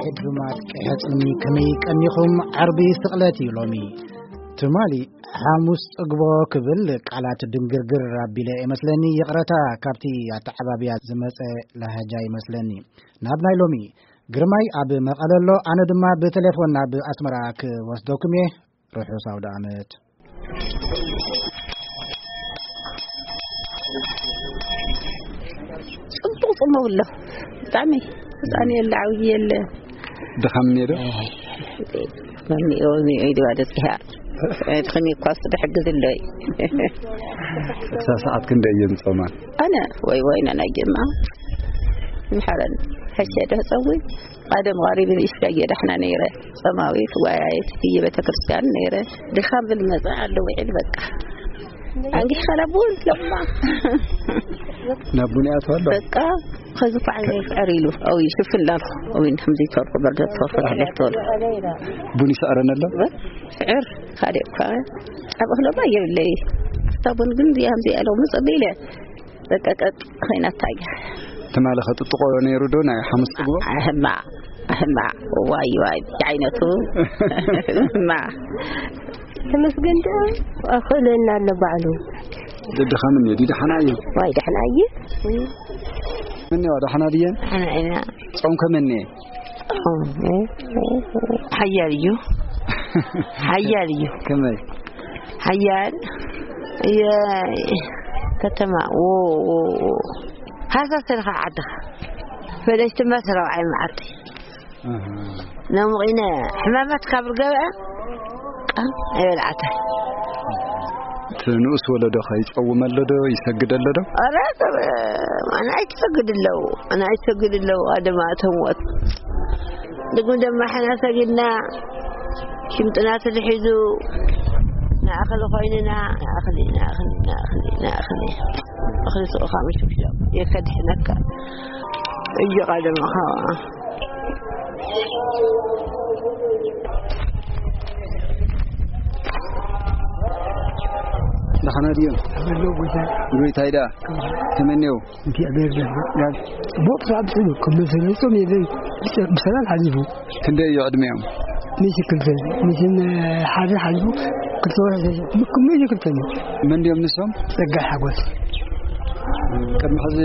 ዕዱማት ቀያጽኒ ከመይ ቀኒኹም? ዓርቢ ስቕለት እዩ ሎሚ። ትማሊ ሓሙስ ጽግቦ ክብል ቃላት ድንግርግር ኣቢለ እመስለኒ። ይቕረታ፣ ካብቲ ኣተዓባብያ ዝመጸ ላህጃ ይመስለኒ። ናብ ናይ ሎሚ። ግርማይ ኣብ መቐለ ኣሎ፣ ኣነ ድማ ብቴሌፎን ናብ ኣስመራ ክወስደኩም እየ። ርሑስ ኣውደ ዓመት። ጽቡቕ ጽምው ኣሎ። ብጣዕሚ ህጻን የለ፣ ዓብዪ የለ። ድኻም እኒኦ ዶ? መምኒኦ፣ መምኒኦ ኢሉ ባዶ ጽሒያ። ድኽም እኳ እሱ ድሕግዝ ኣሎ እዩ። ክሳብ ሰዓት ክንደይ እየን ዝጾማ? ኣነ ወይ ወይ ናናይ ጀማ። ምሓረን። ሕሸ ዶ ጸዊ? ቀደም ቐሪብ ንእሽተይ እየ ዳሕና ነይረ። ጾማዊት፣ ዋያይት፣ እየ ቤተክርስትያን ነይረ። ድኻም ብል መጸ ኣሎ ውዒል በቃ። ኣንጊሕ ከለቡን ለማ። ናብ ቡን ይኣትዋ ኣሎ? በቃ፣ ኸዚ እኮ ዓይነ ይስዕር ኢሉ። ኣው ይሽፍን ላልኩ። ኣው እንድሕም ዘይተርኩ፣ በርገ ተርኩ፣ ዳሕለ ተወልኩ። ቡን ይስዕረን ኣሎ? ስዕር፣ ካልእ እኳ ጻብእ ክለባ የብለይ። ኣፍታ ቡን ግን እዚኣ፣ ከምዚኣ ኢሎም ምጽእ ኢለ። በቃ ቀጥ ኸይናታ እያ። ትማሊ ኸጥጥቆ ነይሩ ዶ ናይ ሓሙስ ጽግቦ? ኣህማ፣ ኣህማ፣ ዋይ፣ ዋይ፣ ዓይነቱ። እማ። ተመስገን ዶ ኣኽእለና ኣሎ ባዕሉ። ደድኻ ምን እዩ? ዲድሓና እዩ? ዋይ፣ ደሕና እዩ። ምን እዩ? ደሕና ድየን? ደሕና ኢና። ጾም ከመን እየ? ሓያል እዩ። ሓያል እዩ። ከመይ? ሓያል የ-፣ ከተማ፣ ዎ፣ ዎ፣ ዎ። ሃሳስ ኢልካ ዓድኻ። ፈለስቲ እምበር ሰራብዓይ መዓልቲ። ኣሃ። ነሙቕ ኢነ ሕማማት ካብ ርገበ ቃም ኣይበልዓተን። እቲ ንኡስ ወለዶ ከ ይጸውመ ኣሎ ዶ? ይሰግድ ኣሎ ዶ? ኧረ፣ ኣነ ኣይትሰግድ ኣለዉ። ኣነ ኣይትሰግድ ኣለዉ። ኣደማ እቶም ወት-፣ ድግም ደማ ሕና ሰጊድና፣ ሽምጥና ተትሒዙ፣ ንኣኽሊ ኮይንና፣ ንኣኽሊ፣ ንኣኽሊ፣ ንኣኽሊ፣ ንኣኽሊ። እኽሊ ስቑኻ ምሽክሻው የከድሕነካ። እዩ ቀደምኻ። ደሓና ድዮም? ኣለዉ ጎይታ። ጎይታይ ደኣ? ከመይ እኒኦ? እግዚኣብሔር ይመስገን። ጽቡቕ ስራሕ ብስሉ፣ ከም መሰለይ ጾም የለን። ብሰላም ሓሊፉ። ክንደይ እዩ ዕድሜኦም? ሚእቲ ክልተ፣ ሚእቲ ሓደ ሓሊፉ፣ ክልተ ወርሒ ዘ-፣ ምክ-፣ ሚእቲ ክልተ እዩ። መን ድዮም ንሶም? ጸጋይ ሓጎስ። ቅድሚ ሕዚ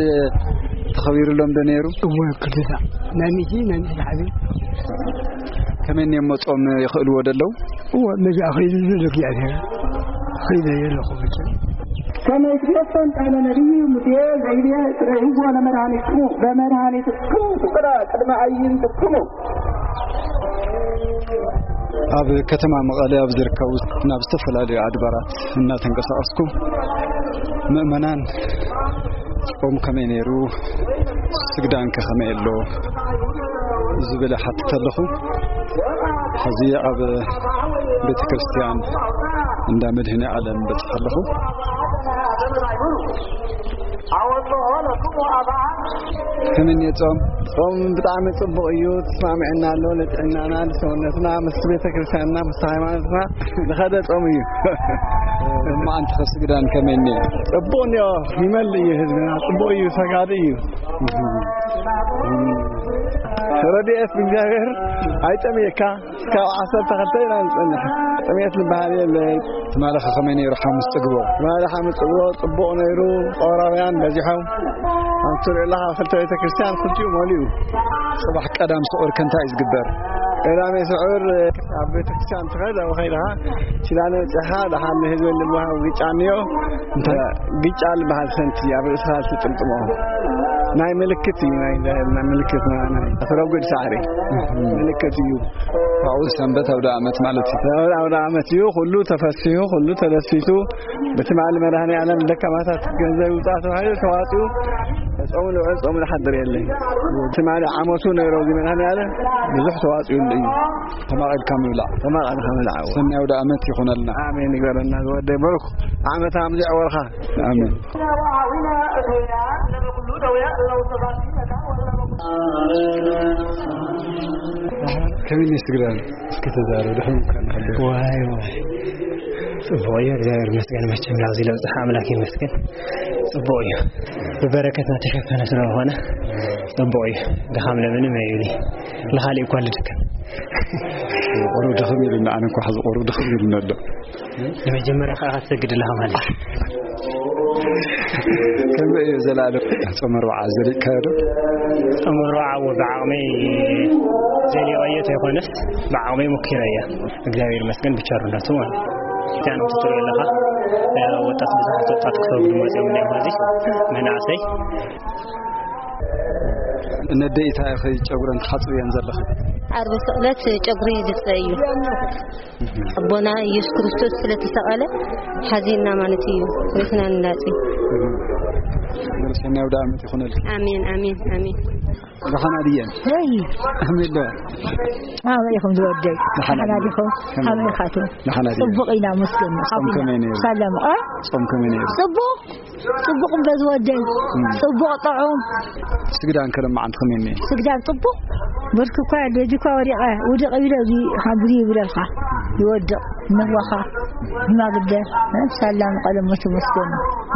ተኸቢሩሎም ዶ ነይሩ? እወ፣ ክልተ ሳዕ። ናይ ሚእቲ፣ ናይ ሚእቲ ሓደ። ከመይ እኒኦም መጾም ይኽእልዎ ዶ ኣለዉ? እወ፣ መዚ ኣኽኢሉ ዘሎ እግዚኣብሔር። ኣኽኢሉ ኣለኹ መቸም። ከመይ ትፈጸም ቃለ ነቢይ ሙሴ ዘይቤ፣ ርእይዎ ለመድኃኒትክሙ፣ ለመድኃኒትክሙ ፍቁረ ቅድመ ኣዕይንትክሙ። ኣብ ከተማ መቐለ ኣብ ዝርከቡ ናብ ዝተፈላለዩ ኣድባራት እናተንቀሳቐስኩ ምእመናን ጾም ከመይ ነይሩ፣ ስግዳን ከ ከመይ ኣሎ ዝብል ሓትት ኣለኹ። ሕዚ ኣብ ቤተ ክርስቲያን እንዳ መድህነ ዓለም በጽሕ ኣለኹ። ከመይ እኒኦ ጾም? ጾም ብጣዕሚ ጽቡቕ እዩ፣ ተስማሚዕና ኣሎ፣ ንጥዕናና፣ ንሰውነትና፣ ምስ ቤተ ክርስቲያንና፣ ምስ ሃይማኖትና ዝኸደ ጾም እዩ። እሞ ኣንቲ ከስግዳን ከመይ እኒኦ? ጽቡቕ እኒኦ፣ ይመልእ እዩ ህዝብና፣ ጽቡቕ እዩ፣ ሰጋዲ እዩ። ረድኤት እግዚኣብሔር ኣይጠምየካ። እስካብ ዓሰርተ ክልተ ኢና ንጸንሕ። ጥሜት ዝበሃል የለን። ትማሊ ከ ከመይ ነይሩ ሓሙስ ጽግቦ? ትማሊ ሓሙስ ጽግቦ ጽቡቕ ነይሩ። ጾራውያን በዚሖም። ኣብ ትሪኦ ኣለኻ ክልተ ቤተ ክርስቲያን ክልቲኡ መሊኡ። ጽባሕ ቀዳም ስዑር ከ እንታይ እዩ ዝግበር? ቀዳሜ ስዑር ኣብ ቤተ ክርስቲያን ትኸድ፣ ኣብ ኸይድኻ ኪዳነ በጺሕኻ ደሓን ንህዝቢ እንድልዋሃው ግጫ እኒኦ። እንታይ? ግጫ ዝበሃል ሰንቲ ኣብ ርእስኻ ትጥምጥሞ። ናይ ምልክት እዩ፣ ናይ፣ ናይ ምልክት፣ ናይ፣ ናይ ኣተረጉድ ሳዕሪ ምልክት እዩ። ካብኡ ሰንበት ኣውደ ዓመት ማለት እዩ። ሰንበት ኣውደ ዓመት እዩ። ኩሉ ተፈሲሑ፣ ኩሉ ተደሲቱ። ብትማሊ መድኃኔ ዓለም ደካማታት ገንዘብ ይውጻእ ተባሂሉ ተዋጺኡ። ጾሙ ልውዕል፣ ጾሙ ዝሓድር የለን። ትማሊ ዓመቱ ነይሮ እዚ መድኃኔ ዓለም ብዙሕ ተዋጺኡሉ እዩ። ተማቒልካ ምብላዕ። ተማቒልካ ምብላዕ። ሰናይ ኣውደ ዓመት ይኹነልና። ኣሜን ይግበረልና ዝወደይ በርኩ። ዓመት ኣምዚ ዕወርካ። ኣሜን። ከመይ ነሽ ትግራይ? እስኪ ተዛረብ፣ ድሕሪ ምኳን ሃለ። ዋይ፣ ዋይ። ጽቡቕ እዩ፣ እግዚኣብሔር ይመስገን። መቸም ናብዚ ለብጽሓ ኣምላክ ይመስገን። ጽቡቕ እዩ፣ ብበረከትና ተሸፈነ ስለዝኾነ ጽቡቕ እዩ። ድኻም ለምንም የብሉይ። ለኻሊእ እኳ ልድከም። ቁሩብ ድኽም ኢሉና፣ ኣነ እንኳ ሕዚ ቁሩብ ድኽም ኢሉና ኣሎ። ንመጀመርያ ከዓ ክትሰግድ ኣለኻ ማለት እዩ። ከመይ እዩ ዘላለም? ጾመ ኣርብዓ ዘሊቕካዮ ዶ? ጾመ ኣርብዓ እወ፣ ብዓቕመይ ዘሊቐዮ ተይኮነስ ብዓቕመይ ሞኪረያ። እግዚኣብሔር ይመስገን ብቸርነቱ ማለት እዩ። እዚኣ ነው ትትሪኦ ኣለኻ። ወጣት፣ ብዙሓት ወጣት ክሰግዱ መፅዮም እኒኦም። ሕዚ መናእሰይ ነደይ እንታይ ኢኺ ጨጉረን ትሓፅብየን ዘለኺ? ዓርቢ ስቕለት ጨጉሪ ይልፀ እዩ። ኣቦና ኢየሱስ ክርስቶስ ስለ ተሰቐለ ሓዚንና ማለት እዩ። ሬስና ንላፂ። ሰናይ ኣውደ ዓመት ይኹነልኪ። ኣሜን፣ ኣሜን፣ ኣሜን። ደሓና ድየን? ሄይ። ኣሜን ዶ? ኣበይ ኢኹም ዝወደይ? ደሓና ደሓና ድየን? ዲኹም? ኣሜን። ኣበይ ኢኻትም? ደሓና ድየን? ጽቡቕ ኢና መስገን። ጾም ከመይ ነይሩ? ሰላም። እ? ጾም ከመይ ነይሩ? ጽቡቕ። ጽቡቕ እምበር ዝወደይ። እም። ጽቡቕ ጥዑም። ስግዳን ከ ለማዓንቲ ከመይ ነይሩ? ስግዳን ጽቡቕ። ብርኪ እኳ የለ፣ እዚ እኳ ወዲቐ፣ ውድቕ ይብለ፣ እዚ ሓምብሪ ይብለልካ። ይወድቕ፣ ንህዋኻ፣ ሽማግለ፣ እ? ሰላም መቐለ ሞት መስገን።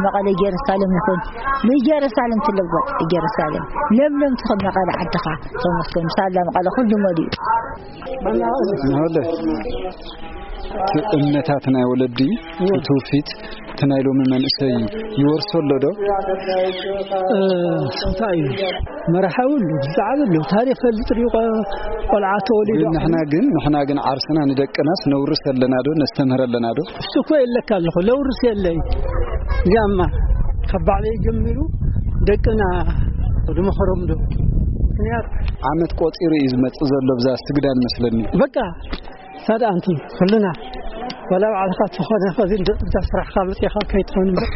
መቐለ ኢየሩሳሌም ይኹን። ንኢየሩሳሌም ትለወጥ፣ ኢየሩሳሌም። ለምለም ትኹን መቐለ ዓድኻ። ተመስገን። ሳላ መቐለ ኩሉ መሊኡ። ንህለ እቲ እምነታት ናይ ወለዲ፣ እቲ ትውፊት፣ እቲ ናይ ሎሚ መንእሰይ ይወርሶ ኣሎ ዶ? እ፣ እንታይ እዩ? መርሓ ይብሉ፣ ብዛዕባ ኣሎ። ታሪኽ ፈልጥ ሪቆ ቆልዓ ተወሊዱ። ግን ንሕና ግን፣ ንሕና ግን ዓርስና ንደቅናስ ነውርስ ኣለና ዶ? ነስተምህር ኣለና ዶ? እሱ እኮ የለካ ኣለኹ፣ ለውርስ የለይ። እዚኣማ ካብ ባዕለይ ጀሚሩ ደቅና ዝመኸሮም ዶ? ምኽንያት ዓመት ቆጺሩ እዩ ዝመጽእ ዘሎ ብዛ ስግዳን መስለኒ። በቃ ሳዳ ኣንቲ ኩልና ወላ ባዕልኻ ትኾነ ኸዚ እንደ ብዛ ስራሕኻ መጺኻ ከይትኾን እምበር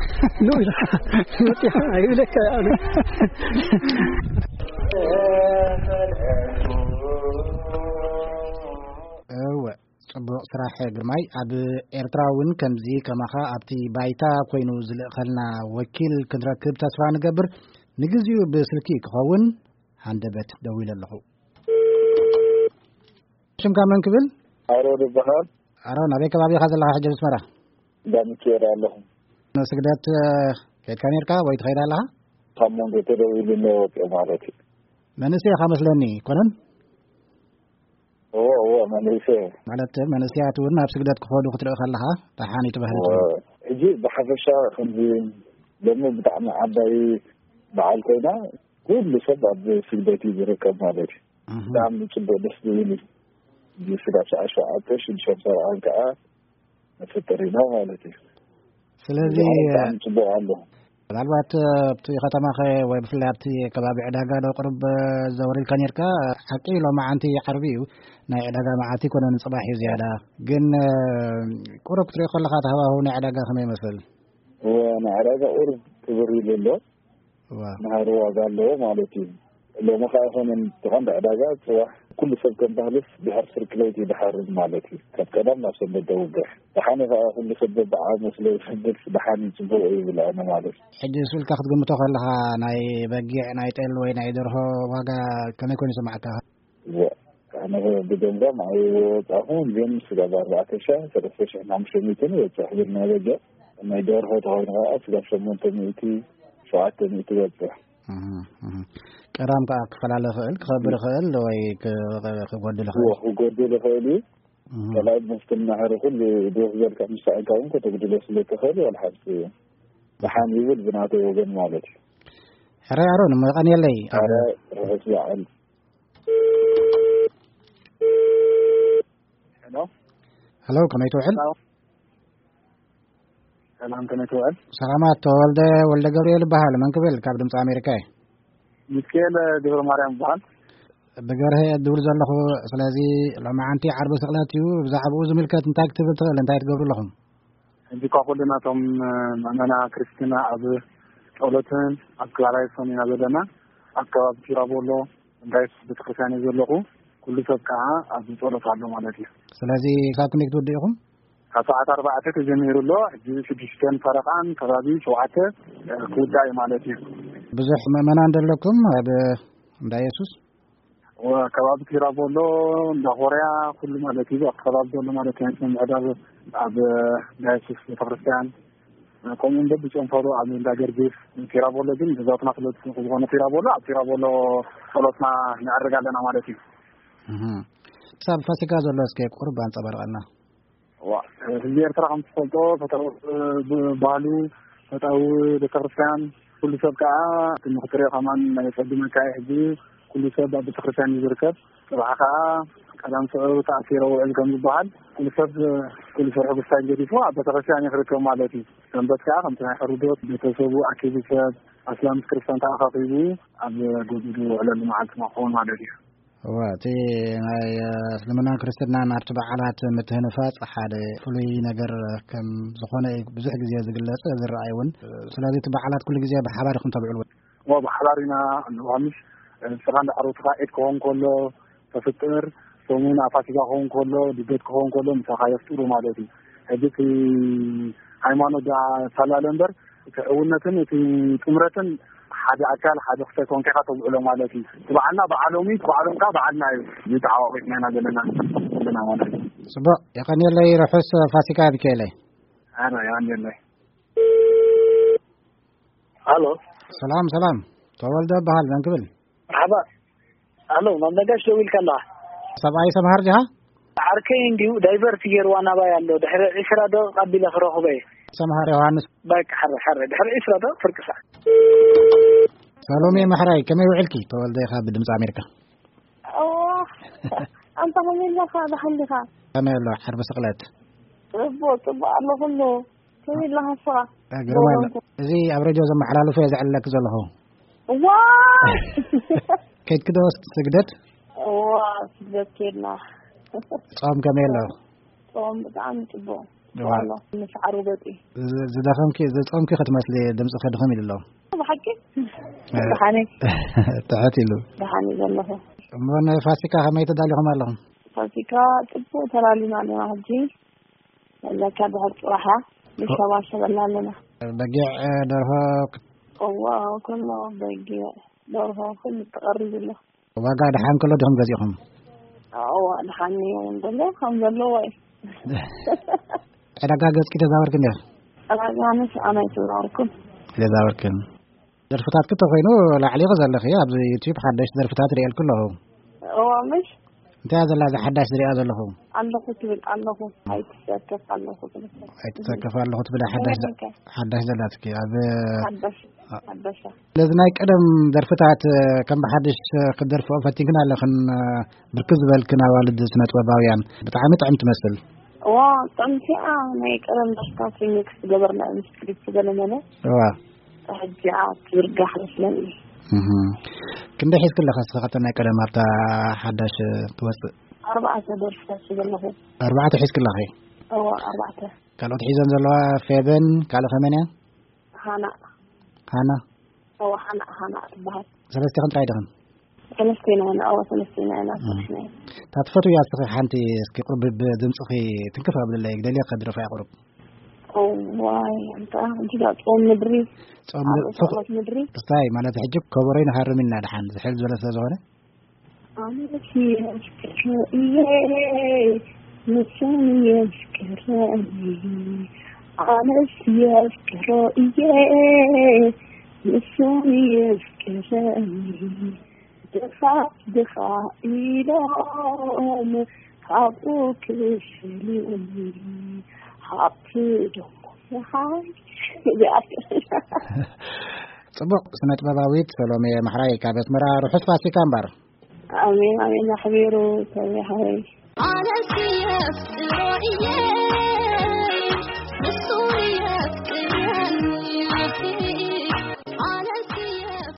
ኑ ኢልካ መጺኻ ኣይብለካ እያ። እወ፣ ጽቡቕ ስራሕ ግርማይ። ኣብ ኤርትራ እውን ከምዚ ከማኻ ኣብቲ ባይታ ኮይኑ ዝልእኸልና ወኪል ክንረክብ ተስፋ ንገብር። ንግዚኡ ብስልኪ ክኸውን ሃንደበት ደዊለ ኣለኹ። ሽምካ መን ክብል? ኣሮን ይበሃል። ኣሮን፣ ኣበይ ከባቢ ኢኻ ዘለኻ ሕጂ ኣብ ኣስመራ? እንዳ ሚካኤል ኣለኹ። ንስግደት፣ እ፣ ከይድካ ነይርካ ወይ ትኸይድ ኣለኻ? ካብ መንጎ ተደዊሉ እኒኦ ወፂኦ ማለት እዩ። መንእሰይ ኢኻ መስለኒ፣ ኮነን? እወ፣ እወ፣ መንእሰይ። ማለት መንእሰያት እውን ናብ ስግደት ክኸዱ ክትርኢ ከለኻ ደሓን እዩ ትበሃል እወ። ትብል። ሕጂ ብሓፈሻ ከምዚ ሎሚ ብጣዕሚ ዓባይ በዓል ኮይና ኩሉ ሰብ ኣብ ስግደት እዩ ዝርከብ ማለት እዩ። እህ። ብጣዕሚ ጽቡቕ ደስ ዝብል እዩ። እዚ ስጋብ ሰዓት ሸውዓተ ሽዱሽተ ሰብዓን ከዓ ንፍጥር ኢና ማለት እዩ። ስለዚ እዚ ብጣዕሚ ጽቡቕ ኣሎ። ምናልባት ኣብቲ ከተማኸ ወይ ብፍላይ ኣብቲ ከባቢ ዕዳጋ ዶ ቅሩብ ዘወር ኢልካ ነርካ? ሓቂ ሎማዓንቲ ዓርቢ እዩ፣ ናይ ዕዳጋ መዓልቲ ኣይኮነን፣ ጽባሕ እዩ ዝያዳ። ግን ቁሩብ ክትሪኦ ከለኻ እቲ ሃዋህው ናይ ዕዳጋ ከመይ ይመስል? እወ፣ ናይ ዕዳጋ ቁሩብ ክብር ኢሉ ኣሎ። እዋ። ናህሪ ዋጋ ኣለዎ ማለት እዩ። ሎሚ ኸዓ ኣይኮነን እቲ ቀንዲ ዕዳጋ፣ ጽባሕ ኩሉ ሰብ ከም ባህልስ ድሕሪ ፍርቂ ለይቲ ይድሓርን ማለት እዩ። ካብ ቀዳም ናብ ሰንበት ደውግሕ። ደሓን እዩ ኸዓ ኩሉ ሰብ በብዓቕሙ ስለ ዝሕግዝ ደሓን እዩ፣ ጽቡቕ እዩ ይብል ኣነ ማለት እዩ። ሕጂ ንሱ ኢልካ ክትግምቶ ከለኻ ናይ በጊዕ፣ ናይ ጤል ወይ ናይ ደርሆ ዋጋ ከመይ ኮይኑ ይስምዓካ? እወ፣ ኣነ ብገምጋም ኣይወጻኹን፣ ግን ስጋብ ኣርባዕተ ሺሕ፣ ሰለስተ ሺሕ ሓሙሽተ ሚእትን ይበጽሕ። ግን ናይ በጊዕ፣ ናይ ደርሆ ተኾይኑ ኸዓ ስጋብ ሸሞንተ ሚእቲ፣ ሸውዓተ ሚእቲ ይበጽሕ። እህ፣ እህ። ቀዳም ከኣ ክፈላለ ይኽእል፣ ክኸብር ይኽእል ወይ ክ-፣ ክጎድል እዎ፣ ይኽእል። ክጎድል ይኽእል እዩ። እህ። ካልኣይ መስተ ናህሪ ኩሉ ድወስ ዘልካ ምስ ሰኣንካ እውን ከተጉድሎ ስለ ትኽእል፣ ዋላ ሓንቲ ደሓን ይብል ብናተይ ወገን ማለት እዩ። ሕራይ ኣሮን፣ እሞ የቐንየለይ። ኣብ ሕራይ ርሑስ በዓል። ሄሎ። ሄሎ፣ ከመይ ትውዕል? ሄሎ። ሰላም፣ ከመይ ትውዕል? ሰላማት፣ ተወልደ ወልደ ገብርኤል እበሃል። መን ክብል? ካብ ድምፂ ኣሜሪካ እየ። ሚካኤል ገብረ ማርያም እበሃል። ብገርሀ እየ ዝድውል ዘለኹ። ስለዚ ሎማዓንቲ ዓርቢ ስቕለት እዩ። ብዛዕባኡ ዝምልከት እንታይ ክትብል ትኽእል? እንታይ ትገብሩ ኣለኹም? ሕጂ እኳ ኩልና እቶም ምእመና ክርስትና ኣብ ጸሎትን ኣብ ክላላይሶን ኢና ዘለና። ኣብ ከባቢ ቲራቦሎ እንዳ የሱስ ቤተክርስትያን እየ ዘለኹ። ኩሉ ሰብ ከዓ ኣብ ጸሎት ኣሎ ማለት እዩ። ስለዚ ክሳብ ክንደይ ክትውድኡ ኢኹም? ካብ ሰዓት ኣርባዕተ ተጀሚሩ ኣሎ። ሕጂ ሽዱሽተን ፈረቓን ከባቢ ሸውዓተ ክውዳእ እዩ ማለት እዩ። ብዙሕ ምእመናን ዶ ኣለኩም ኣብ እንዳ የሱስ? ከባቢ ቲራቦሎ፣ እንዳ ኮርያ፣ ኩሉ ማለት እዩ። ኣብቲ ከባቢ ዘሎ ማለት እዩ። ምዕዳብ ኣብ ዳያሲስ ቤተክርስትያን፣ ከምኡ እውን በብጨንፈሩ ኣብ እንዳ ገርጊስ፣ ቲራቦሎ ግን ብዛትና ስለ ዝኾነ ቲራቦሎ፣ ኣብ ቲራቦሎ ጸሎትና ነዕርግ ኣለና ማለት እዩ። እህ። ክሳብ ፋሲካ ዘሎ እስከ ቁርብ ኣንጸባርቐልና። ዋ፣ ህዝቢ ኤርትራ ከም ትፈልጦ ፈታዊ ባህሉ፣ ፈታዊ ቤተክርስትያን፣ ኩሉ ሰብ ከዓ እቲ ንክትሪኦ ከማን ናይ ጸዱ መካይ ሕጂ ኩሉ ሰብ ኣብ ቤተክርስትያን እዩ ዝርከብ። ጽባሕ ከዓ ቀዳም ስዑር ተኣሲረ ውዕል ከም ዝበሃል ኩሉ ሰብ ኩሉ ስርሑ ብስታይ ገዲፉ ኣብ ቤተክርስትያን እዩ ክርከብ ማለት እዩ። ሰንበት ከዓ ከምቲ ናይ ሕሩዶት ቤተሰቡ ኣኪቡ ሰብ ኣስላም ክርስቲያን ተኣኻኺቡ ኣብ ገዝኡ ዝውዕለሉ መዓልቲ ክኸውን ማለት እዩ። እወ፣ እቲ ናይ እስልምናን ክርስትናን ኣብቲ በዓላት ምትህንፋጽ ሓደ ፍሉይ ነገር ከም ዝኾነ እዩ ብዙሕ ግዜ ዝግለጽ ዝረኣይ እውን። ስለዚ እቲ በዓላት ኩሉ ግዜ ብሓባር ኢኹም ተብዕልዎ? እወ፣ ብሓባር ኢና። ኣሉ ሃምሽ ንስኻ እንዳ ዓሮትኻ ዒድ ክኸውን ከሎ ተፍጥር፣ ሰሙን ኣፋሲጋ ክኸውን ከሎ፣ ልደት ክኸውን ከሎ ምሳኻ የፍጥሩ ማለት እዩ። ሕጂ እቲ ሃይማኖት ደኣ ሳላለ እምበር እቲ ሕውነትን እቲ ጥምረትን ሓደ ኣካል ሓደ ክልተ ኮንካ ኢኻ ተብዕሎ ማለት እዩ። እቲ በዓልና በዓሎም እዩ፣ እቲ በዓሎም ከዓ በዓልና እዩ። እዚ ተዓዋቒትና ኢና ዘለና ዘለና ማለት እዩ። ጽቡቕ፣ የቐንየለይ ርሑስ ፋሲካ ሚካኤለይ። ኣነ የቐንየለይ። ሃሎ። ሰላም ሰላም፣ ተወልደ እበሃል። መን ክብል? መርሓባ። ሃሎ፣ ናብ ነጋሽ ደዊልካ ኣለኻ? ሰብኣይ ሰምሃር ዲኻ? ዓርከይ እንዲዩ ዳይቨርት ገይርዋ ናባይ ኣሎ። ድሕሪ ዒስራ ደቂቕ ኣቢለ ክረኽቦ እየ። ሰምሃር ዮሃንስ። በቃ፣ ሕረ፣ ሕረ። ድሕሪ ዒስራ ደቂቕ ፍርቂ ሰዓት። ሰሎሜ ማሕራይ፣ ከመይ ውዕልኪ? ተወልደ ኢኻ ብድምፂ ኣሜሪካ። እዋ፣ ኣንታ ከመይ ኣለኻ? ደሓን ዲኻ? ከመይ ኣሎ? ሓርቢ ስቕለት። ጽቡቕ፣ ጽቡቕ ኣሎ ኩሉ። ከመይ ኣለኻ ንስኻ? ግርማ ኣሎ። እዚ ኣብ ሬድዮ ዘመሓላልፎ እየ ዘዕልለኪ ዘለኹ። ዋይ! ከይድኪ ዶ ስግደት? እዋ፣ ስግደት ከይድና። ጾም ከመይ ኣሎ? ጾም ብጣዕሚ ጽቡቕ። እዋ። ኣሎ፣ ምስ ዓርቢ ገጺ። ዝ-፣ ዝደኸምኪ፣ ዝጾምኪ ክትመስሊ፣ ድምጽኺ ድኽም ኢሉ ኣሎ። ብሓቂ? እ፣ ደሓነይ። ትሕት ኢሉ። ደሓነይ ዘለኹ። እሞ ንፋሲካ ከመይ ተዳሊኹም ኣለኹም? ፋሲካ ጽቡቕ ተላሊና ኣለና ሕጂ። ለካ ድሕር ጽባሕ እያ። ንሸባሸበላ ኣለና። በጊዕ፣ እ፣ ደርሆ ክት- እዋ፣ ኩሉ በጊዕ፣ ደርሆ፣ ኩሉ ተቐሪቡ ኣሎ። ዋጋ ደሓን ከሎ ዲኹም ገዚእኹም? እዋ፣ ደሓን እዩ እውን ዘሎ፣ ከም ዘለዎ እዩ። ዕዳጋ ገጽኪ ተዛወርኪ እንዲያ? ዕዳጋ ኣነስ ኣነ ኣይተዛወርኩን። ኣይተዛወርክን። ደርፍታትኪ ተኾይኑ ላዕሊ ኢኺ ዘለኺ፣ ኣብዚ ዩቲዩብ ሓደሽቲ ደርፍታት ርእየልኪ ኣለኹ። እዋ፣ ምሽ? እንታይ እያ ዘላ እዛ ሓዳሽ ዝሪኣ ዘለኹ? ኣለኹ ትብል ኣለኹ። ኣይትሰከፍ ኣለኹ ትብል። ኣይትሰከፍ ኣለኹ ትብል ሓዳሽ ዘ-፣ ሓዳሽ ሓዳሽ ዘላትኪ ኣብ ሓዳሽ፣ ኣ-፣ ሓዳሽ። ስለዚ ናይ ቀደም ደርፍታት ከም ብሓድሽ ክትደርፍኦ ፈቲንክን ኣለኽን፣ ብርክት ዝበልክን ኣዋልድ ስነ ጥበባውያን። ብጣዕሚ ጥዕም ትመስል። እዋ፣ ጥዕምቲ እያ። ናይ ቀደም ደርፍታት ሪሚክስ ገበርና ምስ ክሊፕ ገለመለ። እዋ። ሕጂ እያ ትዝርጋሕ መስለኒ። እህ። ክንደይ ሒዝክለኻ እስኻ ካብተን ናይ ቀደም ኣብታ ሓዳሽ ትወጽእ? ኣርባዕተ ደርፍታት ዘለኹ። ኣርባዕተ ሒዝክለኺ? እዋ፣ ኣርባዕተ። ካልኦት ሒዘን ዘለዋ ፌበን፣ ካልእ ከመን እያ? ሃና። ሃና? እዋ፣ ሃና፣ ሃና ትበሃል። ሰለስቲኽን ጥራይ ዲኽን? ሰለስቲና ኢና፣ እዋ፣ ሰለስቲና ኢና፣ እም። ሰለስቲና ኢና። እታ ትፈትውያ እስኺ ሓንቲ እስኪ ቁርብ ብድምፅኺ ትንክፍ ኣብልለይ፣ ግደልየ ከድረፋ እያ ቁሩብ። እዋይ፣ ኣንታ፣ እንጂ ዳ ጾም ምድሪ፣ ጾም ምድሪ፣ ኣብ ጾም ጸሎት ምድሪ። እስታይ፣ ማለት ሕጂ ከበሮይ ንሃርም ኢና ድሓን፣ ዝሕል ዝበለ ስለ ዝኾነ። ኣነስ የፍቅሮ እየ፣ ንሱን የፍቅረኒ። ኣነስ የፍቅሮ እየ፣ ንሱን የፍቅረኒ። ድኻ ድኻ ኢሎም ካብኡ ክፈልዩኒ። ሃብቲ ዶ ይሃብሽ? እዚኣ። ጽቡቕ፣ ስነ ጥበባዊት ሰሎሜ ማሕራይ ካብ ኣስመራ፣ ርሑስ ፋሲካ እምበር። ኣሜን፣ ኣሜን፣ ኣሕቢሩ ሰሎሜ ሓወይ። ኣነስ የፍቅሮ እየ፣